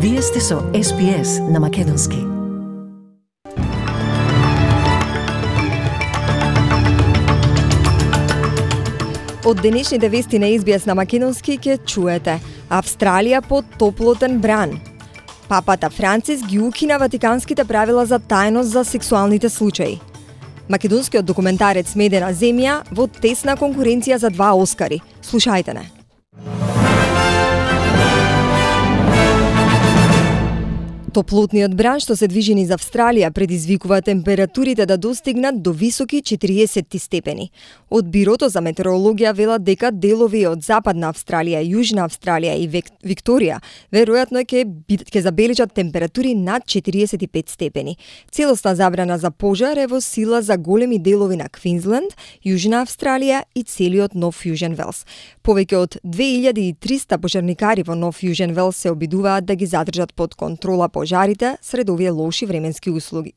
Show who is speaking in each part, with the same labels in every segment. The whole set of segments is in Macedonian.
Speaker 1: Вие сте со SPS на Македонски.
Speaker 2: Од денешните вести на SBS на Македонски ќе чуете: Австралија под топлотен бран. Папата Францис ги укина ватиканските правила за тајност за сексуалните случаи. Македонскиот документарец Медена земја во тесна конкуренција за 2 Оскари. Слушајте не. Топлотниот бран што се движи низ Австралија предизвикува температурите да достигнат до високи 40 степени. Од Бирото за метеорологија велат дека делови од Западна Австралија, Јужна Австралија и Викторија веројатно ќе забележат температури над 45 степени. Целосна забрана за пожар е во сила за големи делови на Квинсленд, Јужна Австралија и целиот Нов Јужен Велс. Повеќе од 2300 пожарникари во Нов Јужен Велс се обидуваат да ги задржат под контрола пожарите сред овие лоши временски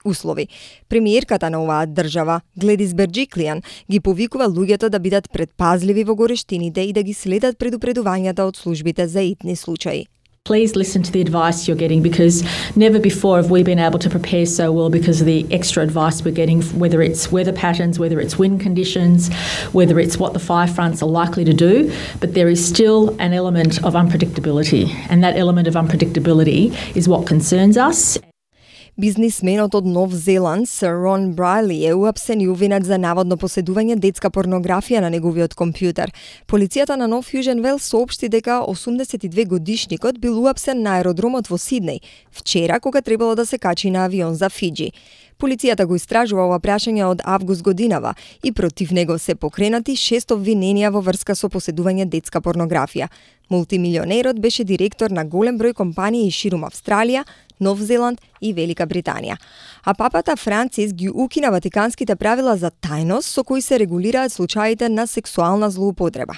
Speaker 2: услови. Премиерката на оваа држава, Гледис Берџиклијан, ги повикува луѓето да бидат предпазливи во горештините и да ги следат предупредувањата од службите за итни случаи.
Speaker 3: Please listen to the advice you're getting, because never before have we been able to prepare so well because of the extra advice we're getting, whether it's weather patterns, whether it's wind conditions, whether it's what the fire fronts are likely to do, but there is still an element of unpredictability, and that element of unpredictability is what concerns us.
Speaker 2: Бизнисменот од Нов Зеланд, Сер Рон Брайли, е уапсен и увинет за наводно поседување детска порнографија на неговиот компјутер. Полицијата на Нов Јужен Велс соопшти дека 82-годишникот бил уапсен на аеродромот во Сиднеј вчера кога требало да се качи на авион за Фиџи. Полицијата го истражува ова прашање од август годинава и против него се покренати 6 обвиненија во врска со поседување детска порнографија. Мултимилионерот беше директор на голем број компании ширум Австралија, Нов Зеланд и Велика Британија. А папата Францис ги укина ватиканските правила за тајност со кои се регулираат случаите на сексуална злоупотреба.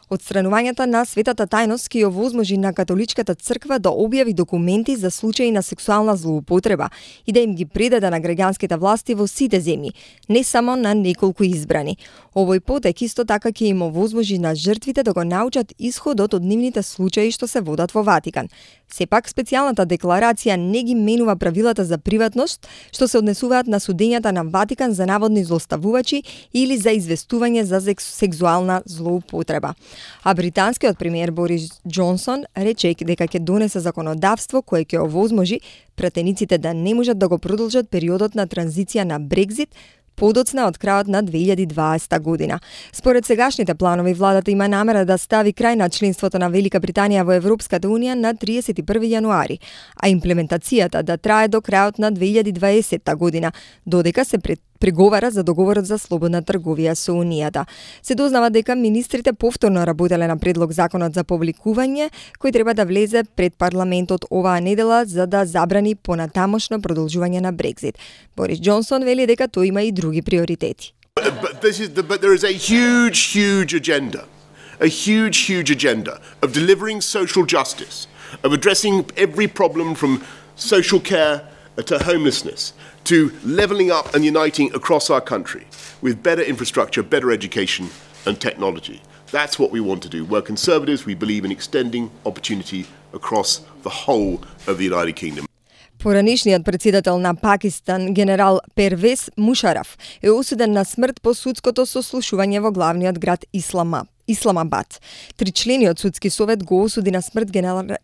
Speaker 2: Отстранувањето на светата тајност ќе овозможи на католичката црква да објави документи за случаи на сексуална злоупотреба и да им ги предаде на граѓанските власти во сите земји, не само на неколку избрани. Овој потек исто така ќе им овозможи на жртвите да го научат исходот од нивните случаи што се водат во Ватикан. Сепак, специјалната декларација не ги менува правилата за приватност што се однесуваат на судењата на Ватикан за наводни злоставувачи или за известување за сексуална злоупотреба. А британскиот премиер Борис Џонсон рече дека ќе донесе законодавство кое ќе овозможи пратениците да не можат да го продолжат периодот на транзиција на Брекзит подоцна од крајот на 2020 година. Според сегашните планови, владата има намера да стави крај на членството на Велика Британија во Европската Унија на 31 јануари, а имплементацијата да трае до крајот на 2020 година, додека се преговара за договорот за слободна трговија со Унијата. Се дознава дека министрите повторно работеле на предлог законот за повликување, кој треба да влезе пред парламентот оваа недела за да забрани понатамошно продолжување на Брекзит. Борис Џонсон вели дека тој има и други приоритети.
Speaker 4: But there is a huge agenda. A huge agenda of delivering social justice, of addressing every problem from social care to homelessness, to levelling up and uniting across our country with better infrastructure, better education and technology. That's what we want to do. We're Conservatives, we believe in extending opportunity across the whole of the United Kingdom.
Speaker 2: Поранишниот председател на Пакистан, генерал Первез Мушараф, е осуден на смрт по судското сослушување во главниот град Исламабад. Тричлениот судски совет го осуди на смрт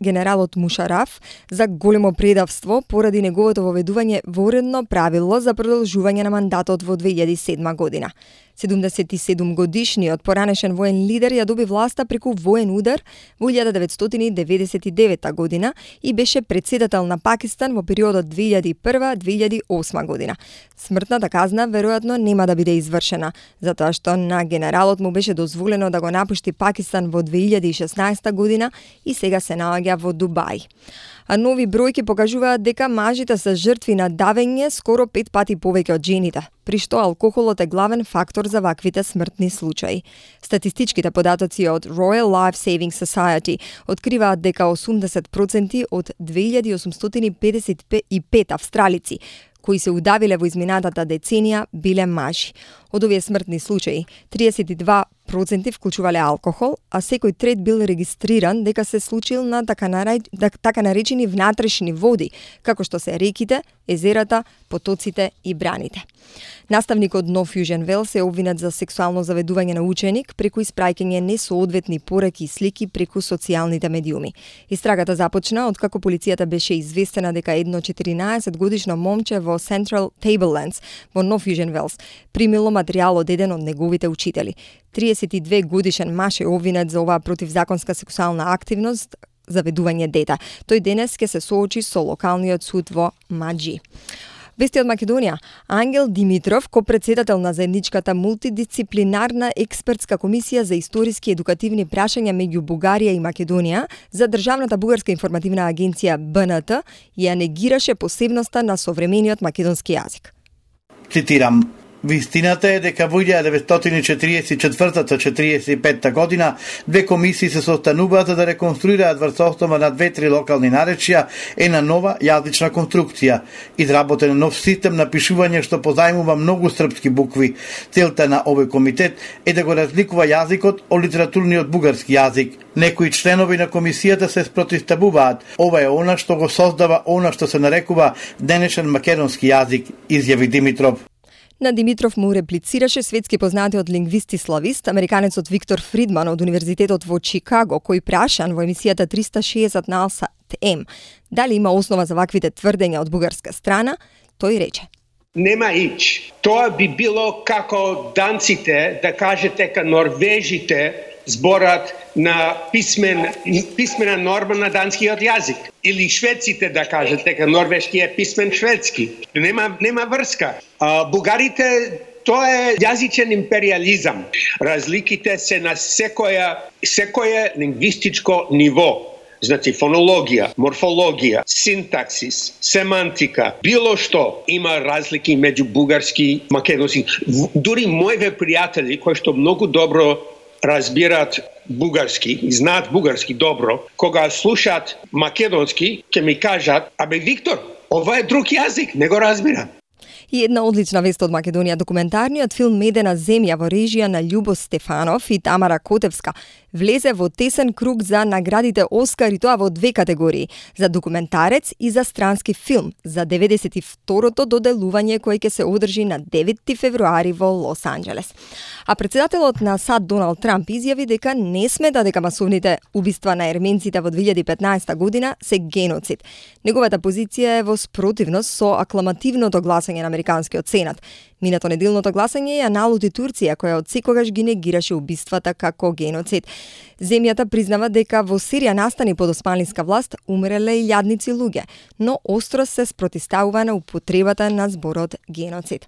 Speaker 2: генералот Мушараф за големо предавство поради неговото воведување во уредно правило за продолжување на мандатот во 2007 година. 77-годишниот поранешен воен лидер ја доби власта преку воен удар во 1999 година и беше председател на Пакистан во периодот 2001-2008 година. Смртната казна веројатно нема да биде извршена, затоа што на генералот му беше дозволено да го напушти Пакистан во 2016 година и сега се наоѓа во Дубај. А нови бројки покажуваат дека мажите се жртви на давење скоро 5 пати повеќе од жените, при што алкохолот е главен фактор за ваквите смртни случаи. Статистичките податоци од Royal Life Saving Society откриваат дека 80% од 2855 австралици кои се удавиле во изминатата деценија биле мажи. Од овие смртни случаи, 32% проценти вклучувале алкохол, а секој трет бил регистриран дека се случил на така наречени внатрешни води, како што се реките, езерата, потоците и браните. Наставникот Нов Јужен Велс е обвинет за сексуално заведување на ученик преку испраќање несоодветни пораки и слики преку социјалните медиуми. Истрагата започна откако полицијата беше известена дека едно 14-годишно момче во Central Tablelands во Нов Јужен Велс примило материјал од еден од неговите учители. 32 годишен маж е обвинет за оваа противзаконска сексуална активност, заведување дете. Тој денес ќе се соочи со локалниот суд во Маџи. Вести од Македонија. Ангел Димитров, копредседател на заедничката мултидисциплинарна експертска комисија за историски едукативни прашања меѓу Бугарија и Македонија за државната бугарска информативна агенција БНТ, ја негираше посебноста на современиот македонски јазик.
Speaker 5: Цитирам: Вистината е дека во 1944-45 година две комисии се состануваат за да реконструираат врз основа на 2-3 локални наречија една нова јазична конструкција. Изработен нов систем на пишување што позајмува многу српски букви. Целта на овој комитет е да го разликува јазикот од литературниот бугарски јазик. Некои членови на комисијата се спротивставуваат. Ова е она што го создава она што се нарекува денешен македонски јазик, изјави Димитров.
Speaker 2: На Димитров му реплицираше светски познатиот лингвист и славист, американецот Виктор Фридман од Универзитетот во Чикаго, кој прашан во емисијата 360 на Алсат М дали има основа за ваквите тврдења од бугарска страна, тој рече:
Speaker 6: Нема ич. Тоа би било како данците да кажете дека норвежите зборат на писмена норма на данскиот јазик. Или шведците да кажат дека норвешки е писмен шведски. Нема врска. Бугарите, тоа е јазичен империализам. Разликите се на секое лингвистичко ниво. Значи фонологија, морфологија, синтаксис, семантика, било што има разлики меѓу бугарски и македонски. Дури моите пријатели кои што многу добро разбират бугарски и знаат бугарски добро, кога слушаат македонски, ќе ми кажат: "Абе Виктор, ова е друг јазик, не го разбирам."
Speaker 2: И една одлична вест од Македонија. Документарниот филм Медена земја во режија на Љубо Стефанов и Тамара Котевска влезе во тесен круг за наградите Оскар, и тоа во 2 категории: за документарец и за странски филм, за 92-то доделување кој ќе се одржи на 9 февруари во Лос Анџелес. А председателот на САД Доналд Трамп изјави дека не смета дека масовните убиства на ерменците во 2015 година се геноцид. Неговата позиција е во спротивност со акламативното гласање на Американскиот Сенат. Минато неделното гласање ја налути Турција, која од секогаш ги негираше убиствата како геноцид. Земјата признава дека во Сирија настани под османлиска власт умреле илјадници луѓе, но остро се спротивставува на употребата на зборот геноцид.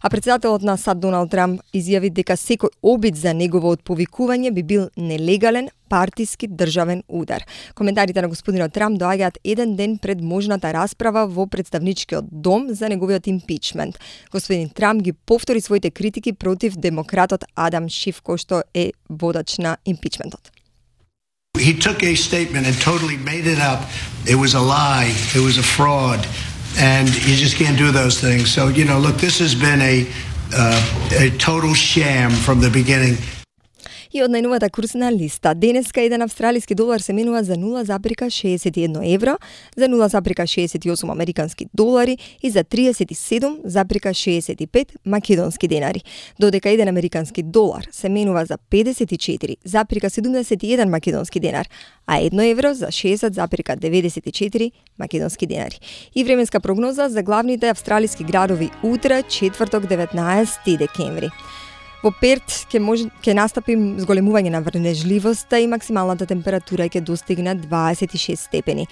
Speaker 2: А председателот на САД Доналд Трамп изјави дека секој обид за негово отповикување би бил нелегален партиски државен удар. Коментарите на господинот Трамп доаѓаат еден ден пред можната расправа во представничкиот дом за неговиот импичмент. Господин Трамп ги повтори своите критики против демократот Адам Шиф, кој што е водач на импичментот.
Speaker 7: He took a statement and totally made it up. It was a lie. It was a fraud. And you just can't do those things. So, look, this has been a total sham from the beginning.
Speaker 2: И од најновата курсна листа. Денеска еден австралиски долар се менува за 0,61 евро, за 0,68 американски долари и за 37,65 македонски денари. Додека еден американски долар се менува за 54,71 македонски денар, а 1 евро за 60,94 македонски денари. И временска прогноза за главните австралиски градови утре, четврток 19 декември. Во Перт ќе настапи зголемување на врнежливоста и максималната температура ќе достигне 26 степени.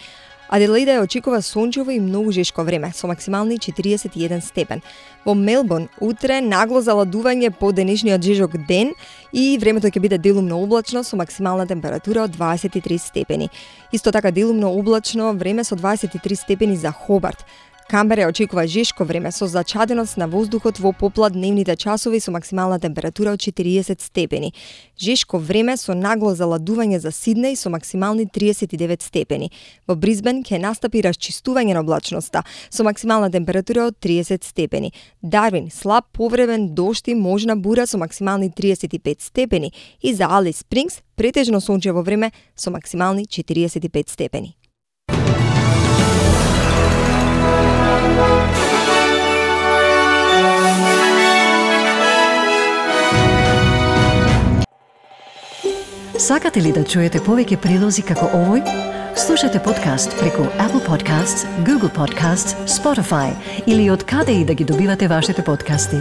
Speaker 2: Аделаида ја очекува сончево и многу жешко време, со максимални 41 степен. Во Мелбурн утре нагло заладување по денешниот жежок ден и времето ќе биде делумно облачно со максимална температура од 23 степени. Исто така делумно облачно време со 23 степени за Хобарт. Камбера очекува жешко време со зачаденост на воздухот во попладневните часови со максимална температура од 40 степени. Жешко време со нагло заладување за Сиднеј со максимални 39 степени. Во Брисбен ќе настапи расчистување на облачноста со максимална температура од 30 степени. Дарвин слаб повремен дожд и можна бура со максимални 35 степени и за Алис Спрингс претежно сончево време со максимални 45 степени.
Speaker 1: Сакате ли да чуете повеќе прилози како овој? Слушате подкаст преку Apple Podcasts, Google Podcasts, Spotify или од каде и да ги добивате вашите подкасти.